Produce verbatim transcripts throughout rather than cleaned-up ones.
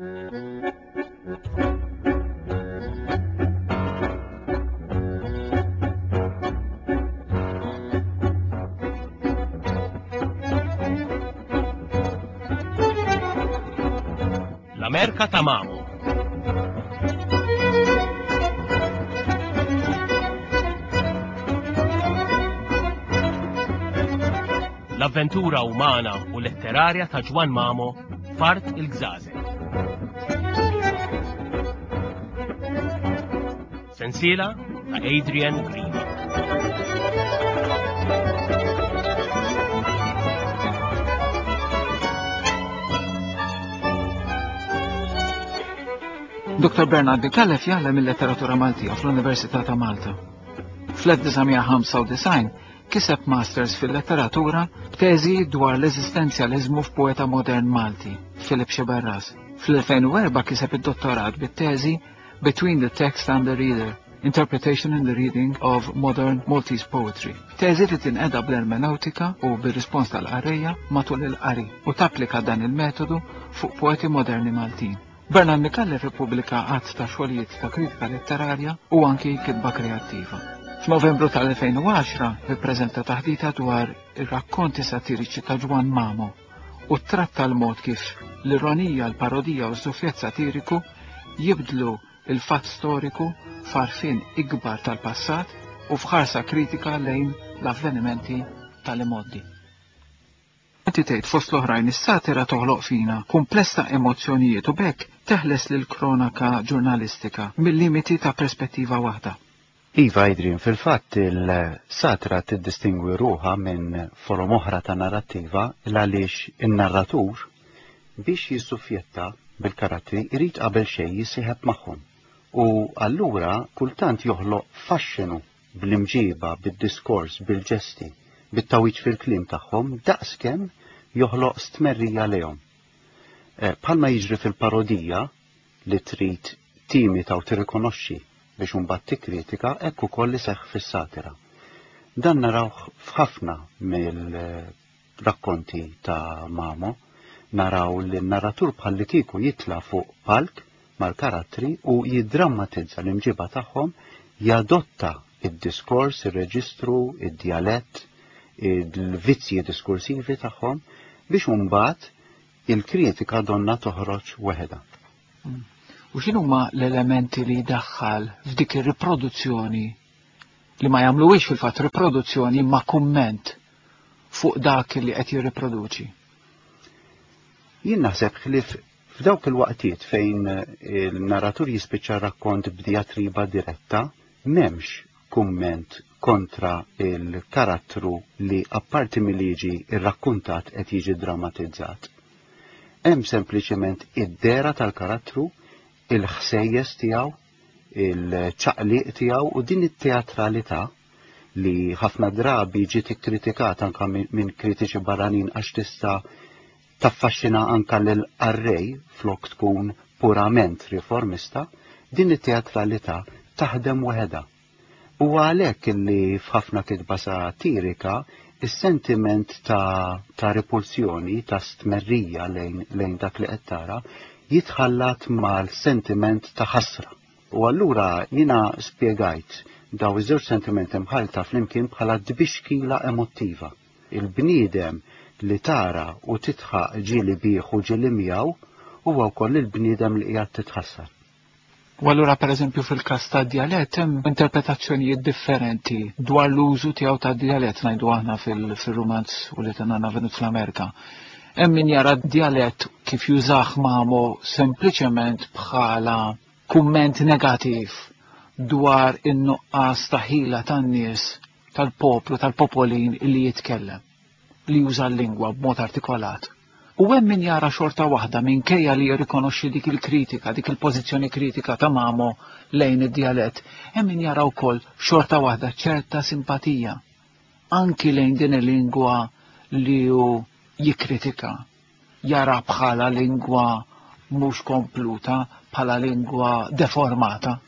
L-Amerka ta' Mamo. L-avventura umana u letterarja ta' Ġwann Mamo f'Art il-Gżażel. Sensiela ta' Adrian Grima. Dottor Bernard Micallef jgħallem il-letteratura Maltija fl-Università ta' Malta. Fl-elf disa' mija ħamsa u disgħin kiseb masters fil-letteratura b'teżi dwar l-eżistenzjaliżmu f'poeta modern Malti, Philip Sciberras. Fl-elfejn u erba' kiseb id-dottorat bit-teżi Between the Text and the Reader, Interpretation and the Reading of Modern Maltese Poetry. Teżi li tinqeda bl-ermeneutika u bir-rispons tal-qarrejja matul il-qari u tapplika dan il-metodu fuq poeti moderni Maltin. Bernard Micallef ippubblika għadd ta' xogħlijiet ta' kritika letterarja u anki kitba kreattiva. F'Novembru tal-elfejn u għaxra ippreżenta taħdita dwar ir-rakkonti satiriċi ta' Ġwann Mamo u tratta l-mod kif l-ironija, l-parodija u ż-żufjett satiriku jibdlu il-fatt storiku f'għarfien ikbar tal-passat u f'ħarsa kritika lejn l-avvenimenti tal-imgħoddi. Inti tgħid fost l-oħrajn is-satira toħloq fina kumpless ta' emozzjonijiet u b'hekk teħles lil kronaka ġurnalistika mill-limiti ta' perspettiva waħda. Iva, Adrian, fil-fatt il-satira tiddistingwi ruħha minn forom oħra ta' narrattiva għaliex in-narratur biex jissufjetta bil-karattri irid qabel xejn jissieħeb magħhom. U allura kultant joħloq faxxinu bl-imġiba, bid-diskors, bil-ġesti, bit-tawiċ fil-kliem tagħhom daqskemm joħloq stmerrija lejhom. Eh, bħalma jiġri fil-parodija li trid timita u tirrikonoxxi biex imbagħad tikkritika, hekk ukoll iseħħ fis-satira. Dan narawh f'ħafna mill-rakkonti ta' Mamo, naraw li n-narratur bħalli kieku jitla' fuq palk mal-karattri u jiddrammatizza l-imġiba tagħhom, jadotta id-diskors, ir-reġistru, id-djalett, il-vizzji diskursivi tagħhom biex imbagħad il-kritika donna toħroġ weħeda. Mm. U x'inhuma l-elementi li jdaħħal f'dik ir-riproduzzjoni li ma jagħmluhiex fil-fatt riproduzzjoni imma kumment fuq dak li qed jirriproduċi? Jien naħseb ħlief f'dawk il-waqtiet fejn il-narratur jispiċċa rakkont b'diatriba diretta, m'hemmx kumment kontra il-karattru li apparti milli jiġi rrakkuntat qed jiġi drammatizzat. Hemm sempliċement id-dera tal-karattru, il-ħsejjes tiegħu, il-ċaqliq tiegħu u din it-teatralità li ħafna drabi ġiet ikkritikata anka minn, minn kritiċi barranin għax tista' taffaxxina anka lil qarrej flok tkun purament riformista, din it-teatralità taħdem waħedha. U għalhekk li f'ħafna kitba satirika is-sentiment ta', ta' repulsjoni, ta' stmerrija lejn, lejn dak li qed tara, jitħallat mal-sentiment ta' ħasra. U allura jiena spjegajt daw iż-żewġ sentimenti mħalta flimkien bħala dbixkila emottiva. Il-bniedem li tara u titħaq ġieli bih u ġieli miegħu huwa wkoll il-bniedem li qiegħed titħassar. U allura pereżempju fil-każ tad-djalett hemm interpretazzjonijiet differenti dwar l-użu tiegħu tad-djalett ngħidu aħna fil-, fil-rumanz u li tenna venut fl-Amerika. Hemm min jara d-djalett kif jużah Mamo sempliċement bħala kumment negattiv dwar in-nuqqas ta' ħila tan-nies tal-poplu, tal-popolin li jitkellem, li juża l-lingwa b'mod artikolat. U hemm min jara xorta waħda minkejja li jirrikonoxxi dik il-kritika, dik il-pożizzjoni kritika ta' Mamo lejn id-djalett, hemm min jara wkoll xorta waħda ċerta simpatija anki lejn din il-lingwa li hu jikkritika, jara bħala lingwa mhux kompluta, bħala lingwa deformata.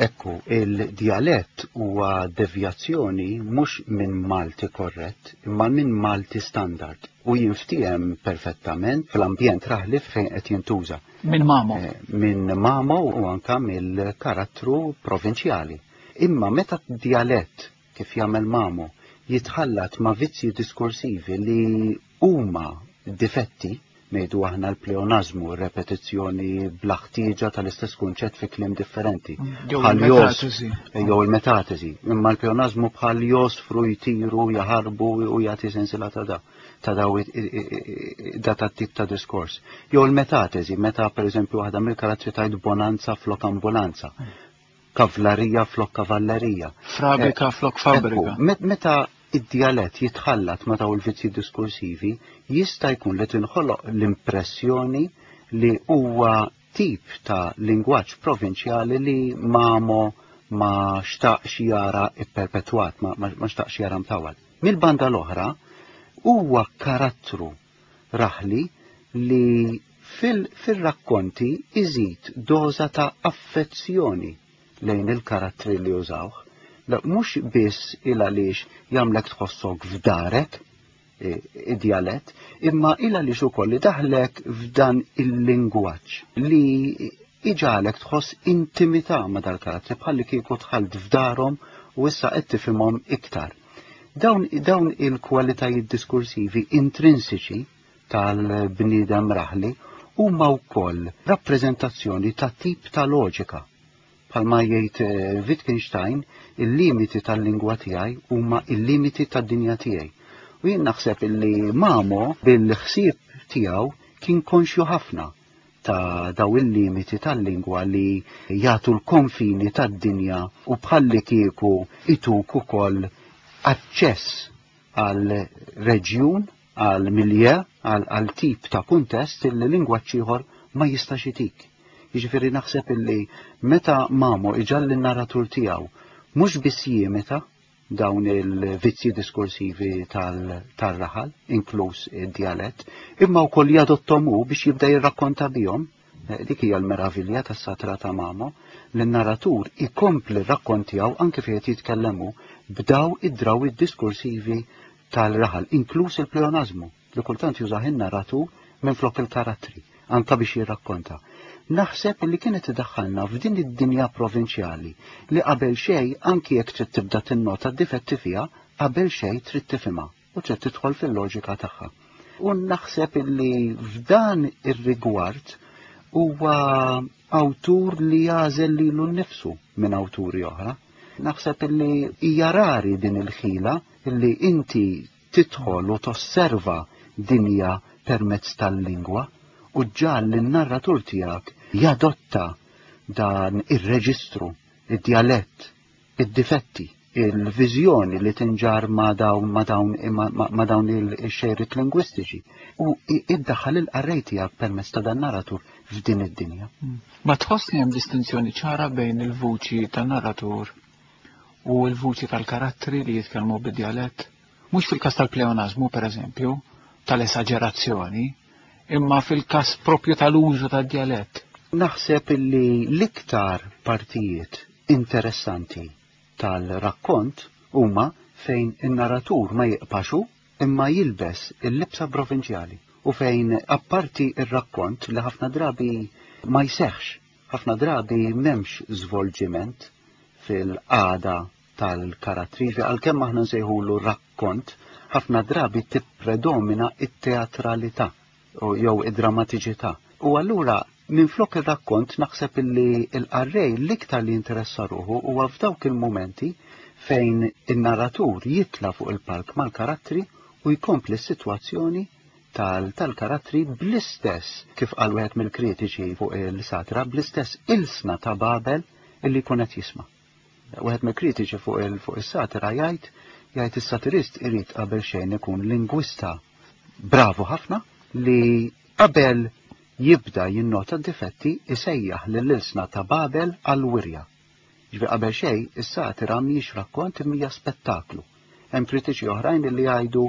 Ekku, il-djalett huwa devjazzjoni mhux minn Malti korrett, imma minn Malti standard u jinftiehem perfettament fl-ambjent raħli fejn qed jintuża. Minn Mamo. Eh, minn Mamo u anka mill-karattru provinċjali. Imma meta djalett kif jagħmel Mamo jitħallat ma' vizzji diskorsivi li huma difetti, ngħidu aħna l-pleonazmu, repetizzjoni bla ħtieġa tal-istess kunċett fi kliem differenti. Jew Bħal jos- il-metatesi. Jew il-metatesi. Imma l-pleonazmu bħal josfru, jtiru, jaħarbu u jagħti sensila ta' da ta' daw i- i- i- da ta' tip ta' diskors. Jew il-metatesi, meta per eżempju waħda mill-karattri tgħid bonanza flok ambulanza, kavlarija flok kavallerija. Frabrika flok fabrika. Ekku, met- meta id-djalett jitħallat ma daw il-vizzji diskursivi, jista' jkun li tinħoloq l-impressjoni li huwa tip ta' lingwaġġ provinċjali li Mamo ma xtaqx jara ipperpetwat, ma, ma, ma xtaqx jara mtawal. Mill-banda l-oħra, huwa karattru raħli li fil-rakkonti iżid doża ta' affezzjoni lejn il-karattri li użawh. La, mhux biss il għaliex jagħmlek tħossok f'darek e, id-djalett, imma il għaliex ukoll li daħlek f'dan il-lingwaġġ li iġalek tħoss intimità ma' dal-karattri bħalli kieku dħalt f'darhom u issa qed tifhimhom iktar. Dawn, dawn il-kwalitajiet diskursivi intrinsiċi tal-bniedem raħli huma wkoll rappreżentazzjoni ta' tip ta' loġika. Bħalma jgħid eh, Wittgenstein, il-limiti tal-lingwa tiegħi huma il-limiti tad-dinja tiegħi. U jien naħseb illi Mamo bil-ħsieb tiegħu kien konxju ħafna ta' daw il-limiti tal-lingwa li jagħtu l-konfini tad-dinja u bħalli kieku ituk ukoll aċċess għal reġjun, għal milje, għal, għal tip ta' kuntest illi lingwaġġ ieħor ma jistax itik. Jiġifieri naħseb illi meta Mamo iġalli n-narratur tiegħu mhux biss jimita dawn il-vizzji diskursivi tal-raħal, inkluż id-djalett, imma wkoll jadottom hu biex jibda jirrakkonta bihom. Eh, Dik hija l-meravilja tas-satra ta' Mamo, li n-narratur ikompli r-rakkont tiegħu anke fejn qed jitkellemu b'daw id-drawwiet diskursivi tal-raħal, inkluż il-pleonazmu, li kultant jużah in-narratur minflok il-karattri, anka biex jirrakkonta. Naħseb li kienet idaħħalna f'din id-dinja provinċjali li qabel xejn anki jekk trid tibda tinnota d-difetti fiha, qabel xejn trid tifhimha u trid tidħol fil-loġika tagħha. U naħseb li f'dan ir-rigward huwa awtur li jagħżel lilu nnifsu minn awturi oħra. Naħseb li hija rari din il-ħila li inti tidħol u tosserva dinja permezz tal-lingwa u ġal l-narratur tiegħek jadotta dan ir-reġistru, id-djalett, id-difetti, il-viżjoni li tinġar ma' dawn ma' dawn ma' ma' dawn il-xejriet lingwistiċi u iddaħħal il-qarrej tiegħek permezz ta' dan narratur f'din id-dinja. Ma tħoss li hemm distinzjoni ċara bejn il-vuċi tan-narratur u l-vuċi tal-karattri li jitkellmu bid-djalett? Mhux fil-każ tal-pleonazmu, per eżempju, tal-esaġerazzjoni, imma fil-każ propju tal-użu tad-djalett. Naħseb illi l-iktar partijiet interessanti tal-rakkont huma fejn in-narratur ma jiqpaxu imma jilbes il-libsa provinċjali u fejn apparti ir-rakkont li ħafna drabi ma jseħħx, ħafna drabi m'hemmx żvolġiment fil-qagħda tal-karattri, għalkemm aħna nsejħulu rakkont, ħafna drabi tippredomina it-teatralità u jew id-drammatiċità. U allura minflok ir-rakkont naħseb illi l-qarrej l-iktar li jinteressa ruħu huwa f'dawk il-momenti fejn in-narratur jitla fuq il-palk mal-karattri u jkompli s-sitwazzjoni tal-karattri bl-istess, kif qal wieħed mill-kritiċi fuq il-satra, bl-istess ilsna ta' Babel illi jkun qed jisma'. Wieħed mill-kritiċi fuq il fuq is-satira jgħid jgħid is-satirist irid qabel xejn ikun lingwista bravu ħafna li qabel jibda jinnota d-difetti isejjaħ lill-ilsna ta' Babel għal-wirja. Ġifieri qabel xejn is-satira mhijiex rakkont imma hija spettaklu. Hemm kritiċi oħrajn li jgħidu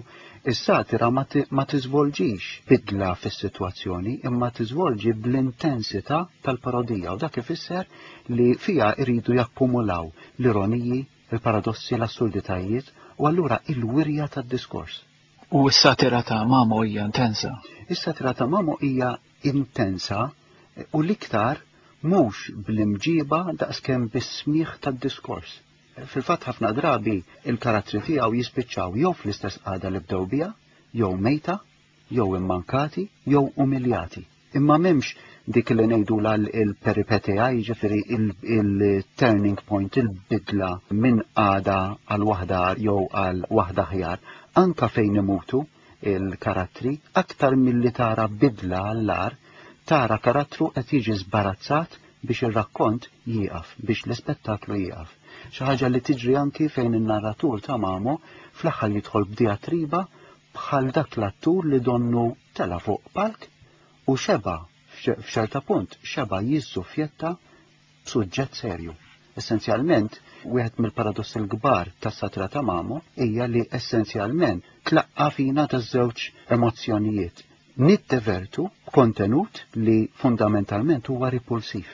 is-satira ma tiżvolġix bidla fis-sitwazzjoni imma tiżvolġi bl-intensità tal-parodija, u dak ifisser li fiha jridu jakkumulaw l-ironiji, il-paradossi, l-assurditajiet u allura il-wirja tad-diskors. U s-satira ta' Mamo hija intensa. Is-satira ta' Mamo hija intensa u l-iktar mhux bl-imġiba daqskemm bis-smigħ tad-diskors. Fil-fatt ħafna drabi il-karattri tiegħu jispiċċaw jew fl-istess qagħda li bdew biha, jew mejta, jew immankati, jew umiljati. Imma m'hemmx dik li ngħidulha il-peripeteja, jiġifieri il-turning point, il-bidla minn qagħda għal waħda jew għal waħda ħjar, anka fejn imutu il-karattri, aktar milli tara bidla għall-agħar, tara karattru qed jiġi żbarazzat biex ir-rakkont jieqaf, biex l-ispettaklu jieqaf. Xi ħaġa li tiġri anki fejn in-narratur ta' Mamo fl-aħħar jidħol b'diatriba bħal dak l-attur li donnu tela fuq palk u xeba f'ċerta punt xeba jiżżuffjetta b'suġġett serju. Essenzjalment, wieħed mill-paradossi l-kbar tas-satira ta' Mamo hija li essenzjalment tlaqqa fina taż-żewġ emozzjonijiet. Niddevertu kontenut li fundamentalment huwa ripulsiv.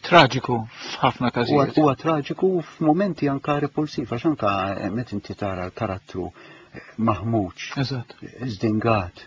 Traġiku f'ħafna każijiet. Huwa traġiku f'mumenti anka repulsiv, għax anka meta inti tara l-karattru maħmuġ, żdingat,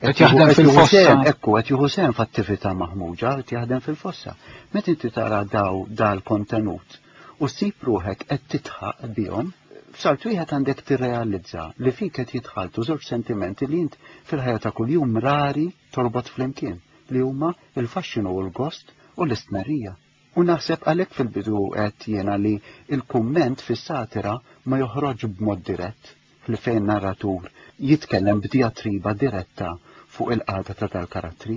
qed jaħdem fil-fossa. Ekku, qed jieħu sehem f'attività maħmuġa, qed jaħdem fil-fossa. Meta inti tara daw dal-kontenut u ssib ruħek qed titħaq bihom, f'salt wieħed għandek tirrealizza li fik qed jitħaltu żewġ sentimenti li int fil-ħajja ta' kuljum rari torbot flimkien, li huma il-faxxinu u l-gost u l-istmerrija. U naħseb għalhekk fil-bidu qed jiena li il-kumment fis-satira ma joħroġ b'mod dirett, li fejn narratur jitkellem b'diatriba diretta fuq il-qagħda ta' dal-karattri.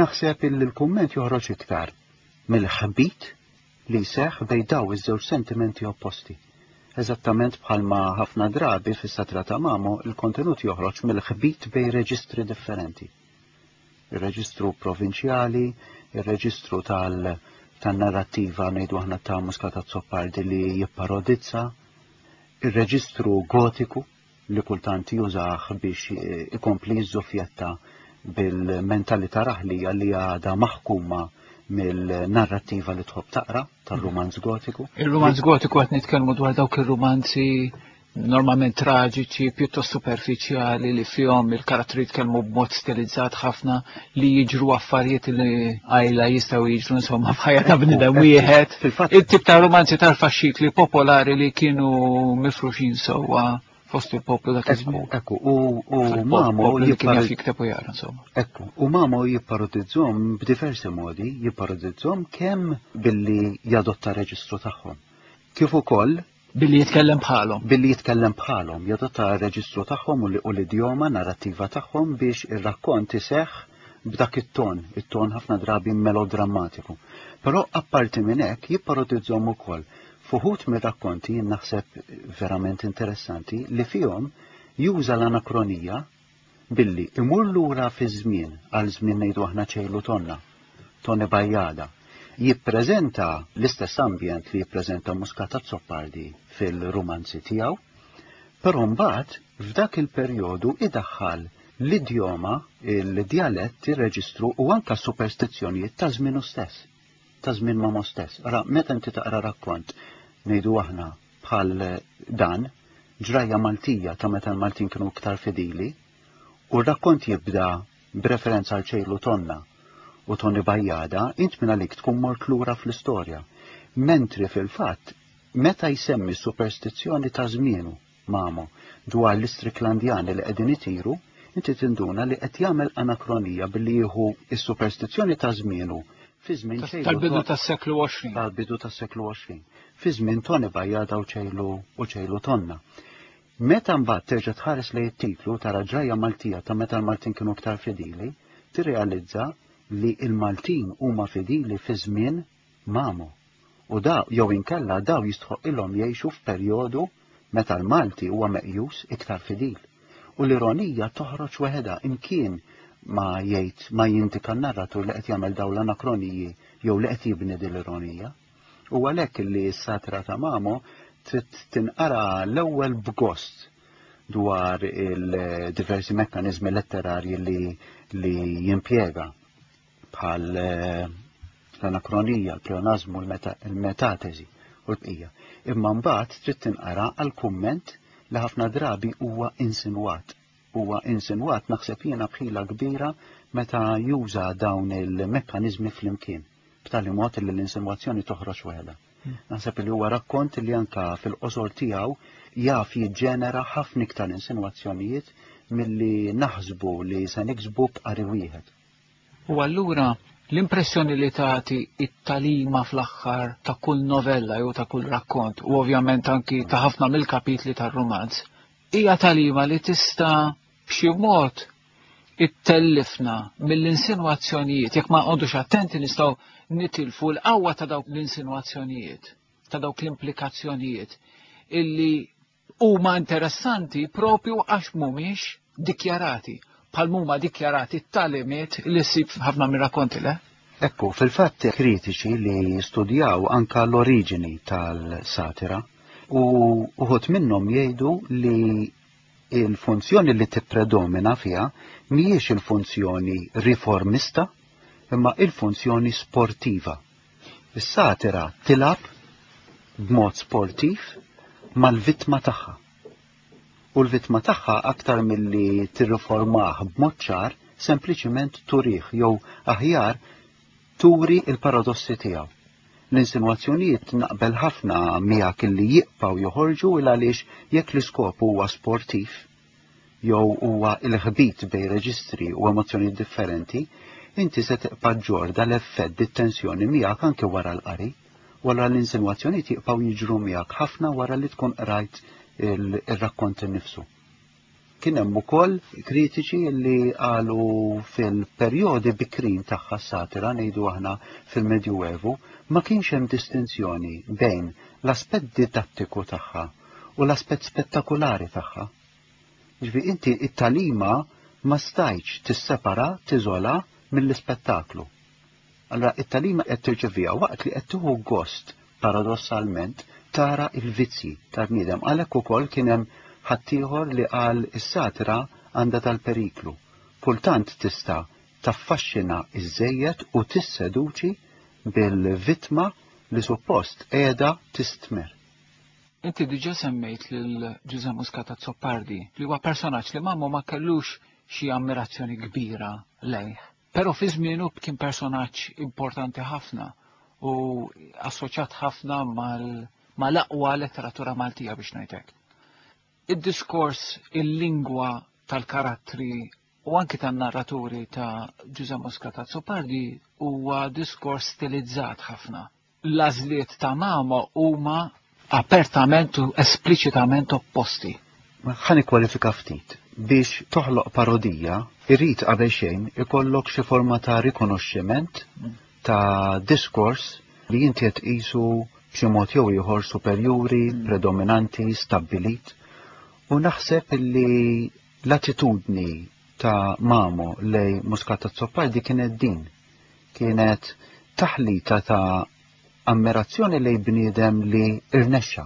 Naħseb li l-kumment joħroġ iktar mill-ħbit li jseħħ bejn daw iż-żewġ sentimenti opposti. Eżattament bħalma ħafna drabi fis-satira ta' Mamo il-kontenut joħroġ mill-ħbit bejn reġistri differenti. Ir-reġistru provinċjali, ir-reġistru tal- tan-narrattiva ngħidu aħna ta' Muscat Azzopardi li jipparodizza, ir-reġistru gotiku li kultant jużah biex ikompli jiżżuffjetta bil-mentalità raħlija li għadha maħkuma mill-narrattiva li tħobb taqra tar-rumanz gotiku. Il-rumanz gotiku qed nitkellmu dwar dawk ir-rumanzi normalment traġiċi, pjuttost superfiċjali li fihom il-karattri jitkellmu b'mod stilizzat ħafna, li jiġru affarijiet li għajla jistgħu jiġru insomma f'ħajja ta' bniedem wieħed. Il-tip ta' romanzi tal-faxxikli popolari li kienu mifruxin sewwa fost il-poplu dak iż-żmien. Ekku, u Mamo jikteb u jara insomma. Ekku, u Mamo jipparodizzhom b'diversi modi, jipparodizzhom kemm billi jadotta reġistru tagħhom. Kif ukoll billi jitkellem bħalhom. Billi jitkellem bħalhom, jadotta r-reġistru tagħhom u l-idjoma narrattiva tagħhom biex ir-rakkont iseħħ b'dak it-ton, it-ton ħafna drabi melodrammatiku. Però apparti minn hekk jipparodizzhom ukoll f'uħud mir-rakkonti jien naħseb verament interessanti li fihom juża l-anakronija billi imur lura fi żmien għal żmien ngħidu aħna ċejlu tonna, Tony Bajjada, jippreżenta l-istess ambjent li jippreżenta Muscat Azzopardi fil-rumanzi tiegħu, però mbagħad f'dak il-perjodu idaħħal l-idjoma, il-djalett, ir-reġistru u anka superstizzjonijiet ta' żmienu stess, ta' żmien Mamo stess. Ara, meta inti taqra rakkont ngħidu aħna bħal dan, ġrajja Maltija ta' meta l-Maltin kienu iktar fidili, u r-rakkont jibda b'referenza għal ċejlu tonna u Tony Bajjada, int minn għalik tkun mort lura fl-istorja. Mentri fil-fatt, meta jsemmi superstizzjoni ta' żmienu Mamo dwar l-Istriklandjani li qegħdin itiru, inti tinduna li qed jagħmel anakronija billi jieħu s-superstizzjoni ta' żmienu fi żmien ċejlu tal-bidu tas-seklu għoxrin. Tal-bidu tas-seklu għoxrin. Fi żmien Tony Bajjada u ċejlu u ċejlu tonna. Meta mbagħad terġa' tħares lejn it-titlu tara ġrajja Maltija ta' meta l-Maltin kienu iktar fidili, tirrealizza li l-Maltin huma fidili fi żmien Mamo. U da jew inkella daw jistħoq ilhom jgħixu f'perjodu meta l-Malti huwa meqjus iktar fidil. U l-ironija toħroġ weħeda imkien ma jgħid ma jindika n-narratur li qed jagħmel dawn l-anakroniji jew li qed jibni din l-ironija. U għalhekk li s-satira ta' Mamo trid tinqara l-ewwel b'gost dwar il-diversi mekkanizmi letterarji li, li jimpjega bħal eh, l-anakronija, l-pleonazmu, il-metatesi u l-bqija. Imma mbagħad trid tinqara għal kumment li ħafna drabi huwa insinwat. Huwa insinwat naħseb jiena bħila kbira meta juża dawn il-mekkaniżmi flimkien, b'tali mod li l-insinwazzjoni toħroġ waħedha. Hmm. Naħseb li huwa rakkont li anka fil-qosor tiegħu jaf jiġġenera ħafna iktar insinwazzjonijiet milli naħsbu li se niksbu b'qari wieħed. U allura l-impressjoni li tagħti it-talima fl-aħħar ta' kull novella jew ta' kull rakkont, u ovvjament anki ta' ħafna mill-kapitli tar-rumanz, hija talima li tista' b'xi mod ittellifna mill-insinwazzjonijiet, jekk ma nqogħdux attenti nistgħu nitilfu l-qawwa ta' dawk l-insinwazzjonijiet, ta' dawk l-implikazzjonijiet illi huma interessanti propju għax mhumiex dikjarati, bħal huma dikjarati t-talimiet li ssib ħafna mir-rakkonti, le? Ekku, fil-fatt kritiċi li studjaw anka l-oriġini tal-satira u uħut minnhom jgħidu li il-funzjoni li tippredomina fiha mhijiex il-funzjoni riformista imma il-funzjoni sportiva. Is-satira tilab b'mod sportiv mal-vittma tagħha. U l-vittma tagħha aktar milli tirriformah b'mod ċar, sempliċiment turih jew aħjar turi il-paradossi tiegħu. L-insinwazzjonijiet naqbel ħafna miegħek illi jibqgħu joħorġu il għaliex jekk l-iskop huwa sportiv jew huwa l-ħbit bejn reġistri u emozzjonijiet differenti, inti se tibqa' ġorda l-effett dit-tensjoni miegħek anke wara l-qari, wara l-insinwazzjonijiet jibqgħu jiġru miegħek ħafna wara li tkun qrajt il-rakkont innifsu. Kien hemm ukoll kritiċi li qalu fil-perjodi bikrin tagħha s-satira, ngħidu aħna fil-Medjuevu, ma kienx hemm distinzjoni bejn l-aspett didattiku tagħha u l-aspett spettakulari tagħha. Ġifieri inti it-talima ma stajtx tissepara, tiżola mill-ispettaklu. Allora it-talima qed tirċeviha waqt li qed tieħu gost paradossalment tara il-vizzji tal-bniedem. Għalhekk ukoll kien hemm ħaddieħor li qal is-satira għandha tal-periklu. Kultant tista' taffaxxina iż-żejjed u tisseduċi bil-vittma li suppost qiegħda tistmer. Inti diġà semmejt lil Ġużè Muscat Azzopardi li huwa personaġġ li Mamo ma kellux xi ammirazzjoni kbira lejh. Però fi żmienu kien personaġġ importanti ħafna u assoċjat ħafna mal-aqwa letteratura Maltija biex ngħidlek. Id-diskors, il-lingwa tal-karattri u anki tan-narraturi ta' Ġużè Muscat Azzopardi huwa diskors stilizzat ħafna. L-għażliet ta' Mamo huma apertament u espliċitament opposti. Ħa nikkwalifika ftit. Biex toħloq parodija, irrid qabel xejn ikollok xi forma ta' rikonoxximent ta' diskors li inti qed tqisu b'xi mod jew ieħor superjuri, predominanti, stabbilit. U naħseb li l-attitudni ta' Mamo lej Muscat Azzopardi kienet din. Kienet taħlita ta' ammirazzjoni lej bniedem li irnexxa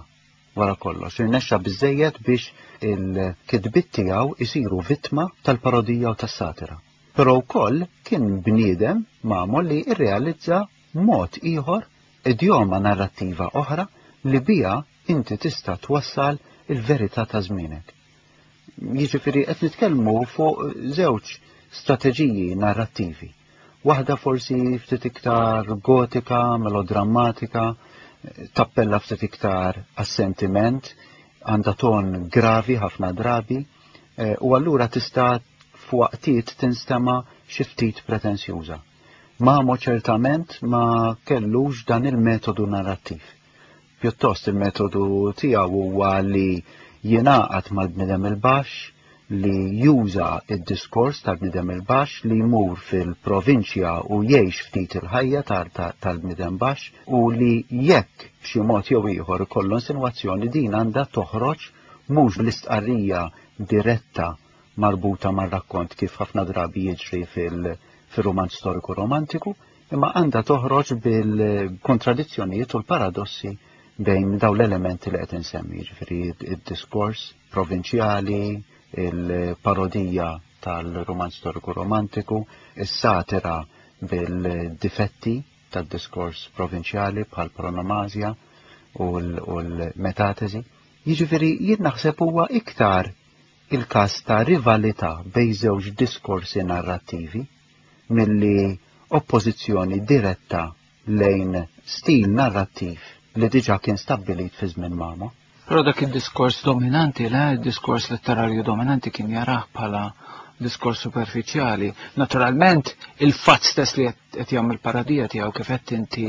wara kollox, irnexxa biżejjed biex il-kitbiet tiegħu isiru vittma tal-parodija u tas-satira. Però wkoll kien bniedem Mamo li irrealizza mod ieħor, idjoma narrattiva oħra li bija inti tista' twassal il-verità ta' żmienek. Jiġifieri qed nitkellmu fuq żewġ strateġiji narrattivi. Waħda forsi ftit iktar gotika, melodrammatika, tappella ftit iktar għas-sentiment, għandha ton gravi ħafna drabi, u allura tista' f'waqtiet tinstema' xi ftit pretensjuża. Mamo ċertament ma kellux dan il-metodu narrattiv. Pjuttost il-metodu tiegħu huwa li jingħaqad mal-bniedem il-baxx, li juża id-diskors tal-bniedem il-baxx, li jmur fil-provinċja u jgħix ftit il-ħajja tal-bniedem baxx, u li jekk b'xi mod jew ieħor ikollu insinwazzjoni din għandha toħroġ mhux bl-istqarrija diretta marbuta mar-rakkont kif ħafna drabi jiġri fil-romanz storiku romantiku, imma għandha toħroġ bil-kontradizzjonijiet u l-paradossi bejn daw l-elementi li qed insemmi, jiġifieri id-diskors provinċjali, il-parodija tal-romanz storiku romantiku, is-satira bil-difetti tad-diskors provinċjali bħal paronomasja u l-metatesi. Jiġifieri jien naħseb huwa iktar il-każ ta' rivalità bejn żewġ diskorsi narrattivi milli oppożizzjoni diretta lejn stil narrattiv li diġà kien stabbilit fi żmien Mamo. Però dak id-diskors dominanti, le, il-diskors letterarju dominanti kien jarah bħala diskors superfiċjali. Naturalment, il-fatt stess li qed jagħmel parodija tiegħu, kif qed inti,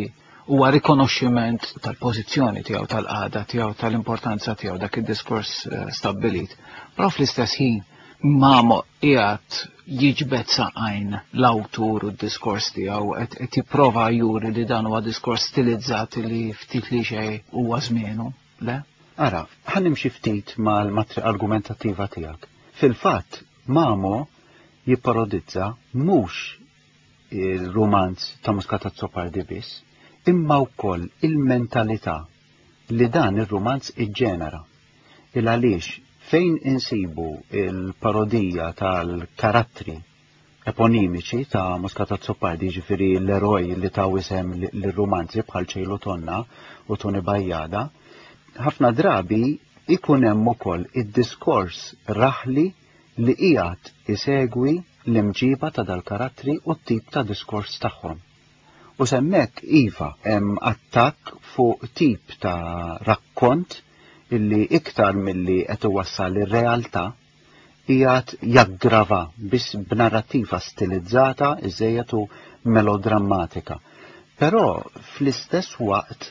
huwa rikonoxximent tal-pożizzjoni tiegħu, tal-qagħda tiegħu, tal-importanza tiegħu dak id-diskors eh, stabbilit. Però fl-istess ħin Mamo qiegħed jiġbed saqajn l-awtur u d-diskors tiegħu, qed jipprova juri li dan huwa diskors stilizzat li ftit li xejn huwa żmienu, le? Ara, ħa nimxi ftit mal-matriċi argumentattiva tiegħek. Fil-fatt, Mamo jipparodizza mhux il-romanz ta' Muscat Azzopardi biss, imma wkoll il-mentalità li dan ir-romanz iġġenera. Il għaliex fejn insibu il-parodija tal-karattri eponimiċi ta' Muscat Azzopardi, ġifieri l-eroj li ta' isem l-romanzi bħal Ċejlu Tonna u Toni Bajjada, ħafna drabi ikun hemm ukoll id-diskors raħli li qiegħed isegwi l-imġiba ta' dal-karattri u t-tip ta' diskors tagħhom. U hemmhekk iva hemm attakk fuq tip ta' rakkont illi iktar milli qed iwassal ir-realtà qiegħed jaggrava biss b'narrattiva stilizzata iżejjed u melodrammatika. Però fl-istess waqt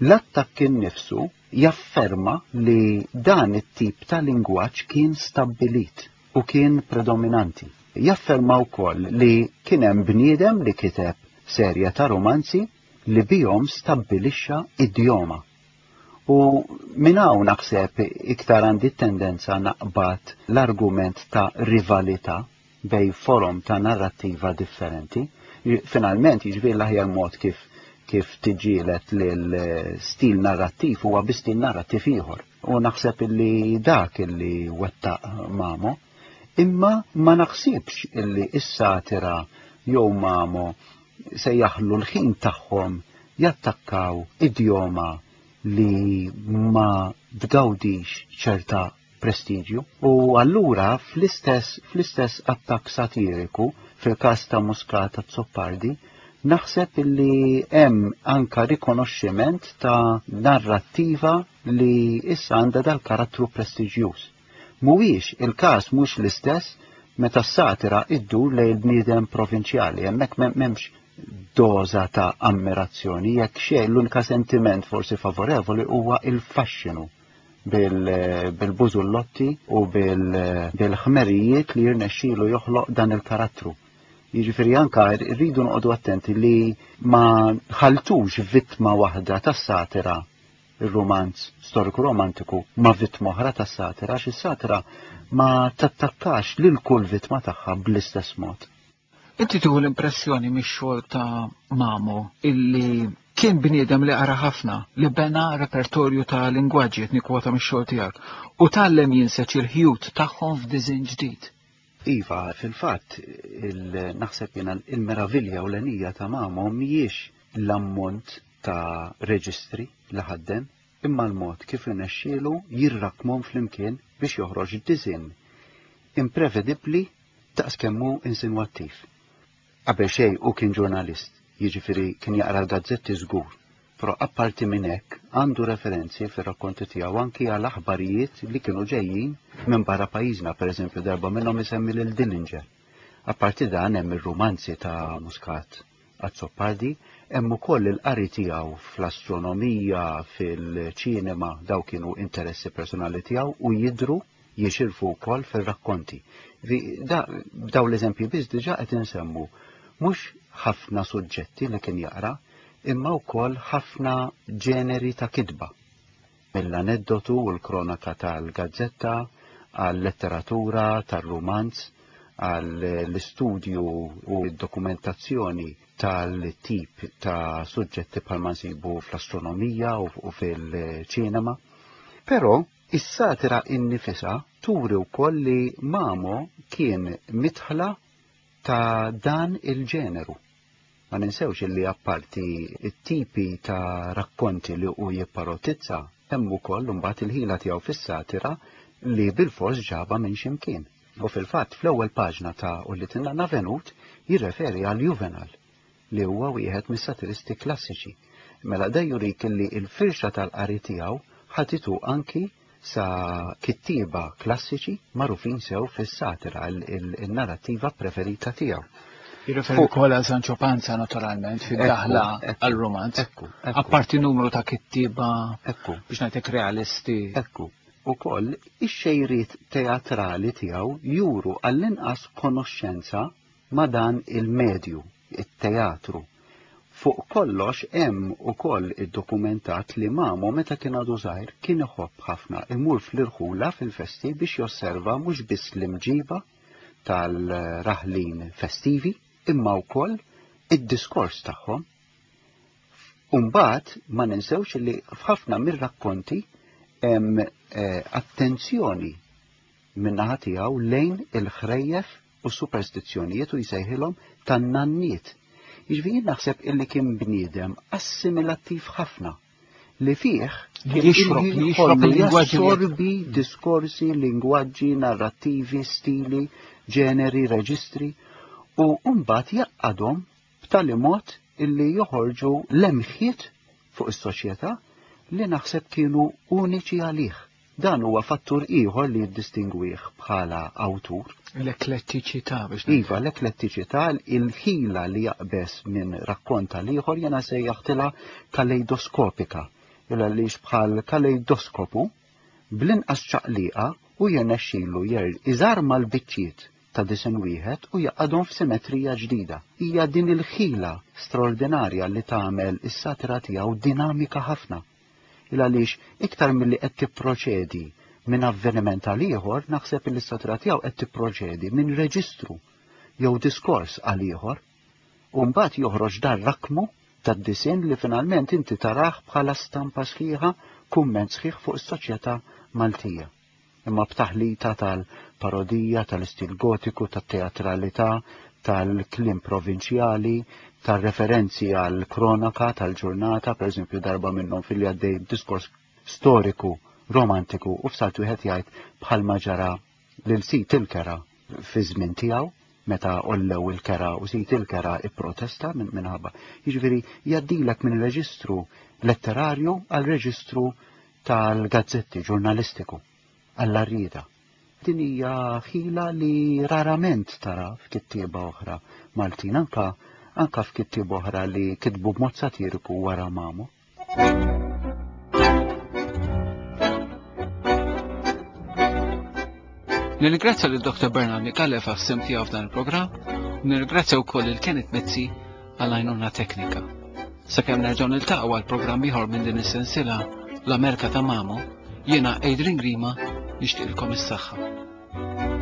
l-attakk innifsu jafferma li dan it-tip ta' lingwaġġ kien stabbilit u kien predominanti. Jafferma wkoll li kien hemm bniedem li kiteb serje ta' romanzi li bihom stabbilixxa idjoma. U minn hawn naħseb iktar għandi tendenza naqbad l-argument ta' rivalità bejn forom ta' narrattiva differenti. Finalment, jiġifieri l-aħjar mod kif kif tiġġieled lil stil narrattiv huwa bi stil narrattiv ieħor. U naħseb illi dak illi wettaq Mamo, imma ma naħsibx illi is-satira jew Mamo se jaħlu l-ħin tagħhom jattakkaw idjoma li ma tgawdix ċerta prestiġju. U allura fl-istess fl-istess attakk satiriku fil-każ ta' Muscat Azzopardi naħseb illi hemm anka rikonoxximent ta' narrattiva li issa għandha dal-karattru prestiġjuż. Mhuwiex il-każ, mhux l-istess meta s-satira iddur lejn il-bniedem provinċjali, hemmhekk m'hemmx doza ta' ammirazzjoni, jekk xejn l-unika sentiment forsi favorevoli huwa il-faxxinu bil-bużullotti u bil-ħmerijiet li jirnexxielu joħloq dan il-karattru. Jiġifieri anka rridu noqogħdu attenti li ma ħaltux vittma waħda tas-satira, il-romanz storiku romantiku, ma vittma oħra tas-satira, għax is-satira ma tattakkax lil kull vittma tagħha bl-istess mod. Inti tieħu l-impressjoni mix-xogħol ta' Mamo illi kien bniedem li qara ħafna, li bena repertorju ta' lingwaġġi, qed nikkwota mix-xogħol tiegħek, u tgħallem jinseġ il-ħjut tagħhom f'diżin ġdid. Iva, fil-fatt, naħseb jiena il-meravilja u l-enija ta' Mamo mhijiex l-ammont ta' reġistri li ħaddem, imma l-mod kif irnexxielu jirrakmhom flimkien biex joħroġ diżin imprevedibbli daqs kemm hu insinwattiv. Qabel xejn hu kien ġurnalist, jiġifieri kien jaqra l-gazzetti żgur, però apparti minn hekk għandu referenzi fir-rakkonti tiegħu anki għal aħbarijiet li kienu ġejjin minn barra pajjiżna, pereżempju darba minnhom isemmi lil Dillinger. Apparti dan hemm ir-romanzi ta' Muscat Azzopardi, hemm ukoll il-qari tiegħu fl-astronomija, fil-ċinema, daw kienu interessi personali tiegħu u jidru jixirfu wkoll fir-rakkonti. B'daw l-eżempji biss diġà qed insemmu mhux ħafna suġġetti li kien jaqra, imma wkoll ħafna ġeneri ta' kitba. Mill-aneddotu u l-kronaka tal-gazzetta, għal-letteratura, tal-romanz, għall-istudju u d-dokumentazzjoni tal-tip ta' suġġetti bħalma nsibu fl-astronomija u fil-ċinema. Però is-satira innifisha turi wkoll li Mamo kien mitħla ta' dan il-ġeneru. Ma ninsewx li apparti it-tipi ta' rakkonti li hu jipparotizza hemm ukoll imbagħad il-ħila tiegħu fis-satira li bilfors ġaba minn x'imkien. U fil-fatt fl-ewwel paġna ta' Ulied in-Nanna Venut jirreferi għal Juvenal li huwa wieħed mis-satiristi klassiċi. Mela da jurik li l-firxa tal-qari tiegħu ħatitu anki sa kittieba klassiċi magħrufin sew fis-satira, il-narrattiva preferita tiegħu. Jirreferi wkoll għal Sancho Panza naturalment fid-daħla għal-romanz. Apparti numru ta' kittieba biex ngħidlek realisti. Ekku. Ukoll ix-xejriet teatrali tiegħu juru għall-inqas konoxxenza ma' dan il-medju, it-teatru. Fuq kollox hemm ukoll iddokumentat li Mamo meta kien għadu żgħir kien iħobb ħafna imur fl-irħula fil-festi biex josserva mhux biss l-imġiba tal-raħlin festivi imma wkoll id-diskors tagħhom. Umbagħad ma ninsewx li f'ħafna mir-rakkonti hemm attenzjoni min-naħa tiegħu lejn il-ħrejjef u superstizzjonijiet u jsejħilhom tan-nanniet. Jiġifieri naħseb illi kien bniedem assimilattiv ħafna li fih jassorbi diskorsi, lingwaġġi, narrattivi, stili, ġeneri, reġistri u mbagħad jaqadhom b'tali mod illi joħorġu lemħiet fuq is-soċjetà li naħseb kienu uniċi għalih. Dan huwa fattur ieħor li jiddistingwih bħala awtur. L-eklettiċità biex. Iva, l-eklettiċità, il-ħila li jaqbes minn rakkonta l-ieħor jiena sejjaħtilha kaleidoskopika. Illa li bħal kaleidoskopu bl-inqas ċaqliqa u jirnexxilu jer iżarma l-biċċiet ta' disen wieħed u jaqadhom f'simetrija ġdida. Hija din il-ħila straordinarja li tagħmel is-satira tiegħu dinamika ħafna. Il għaliex iktar milli qed tipproċedi minn avveniment għal ieħor, naħseb li s-satira tiegħu qed tipproċedi minn reġistru jew diskors għal ieħor, u mbagħad joħroġ dar rakmu tad-disinn li finalment inti tarah bħala stampa sħiħa, kumment sħiħ fuq is-soċjetà Maltija. Imma b'taħlita tal-parodija, tal-istil gotiku, tat-teatralità, tal-kliem provinċjali, tal-referenzi għal kronaka tal-ġurnata, per eżempju darba minnhom fil-li għaddej diskors storiku, romantiku, u f'salt wieħed jgħid bħalma ġara lil sit il-kera fi żmien tiegħu, meta ollew il-kera u sit il-kera ipprotesta minn minħabba. Jiġifieri jgħaddilek minn reġistru letterarju għal reġistru tal-gazzetti ġurnalistiku, għall-arrieda. Din hija ħila li rarament tara f'kittieba oħra Maltin, anka anka f'kittieba oħra li kitbu b'mod satiriku wara Mamo. Nirringrazzja lil Doktor Bernard Micallef għas-sehem tiegħu f'dan il-programm u nirringrazzja wkoll lil Kenneth Mizzi għall-għajnuna teknika. Sakemm nerġgħu niltaqgħu għal programm ieħor minn din is-sensiela l-Amerika ta' Mamo, jiena Adrian Grima nixtieqilkom is-saħħa.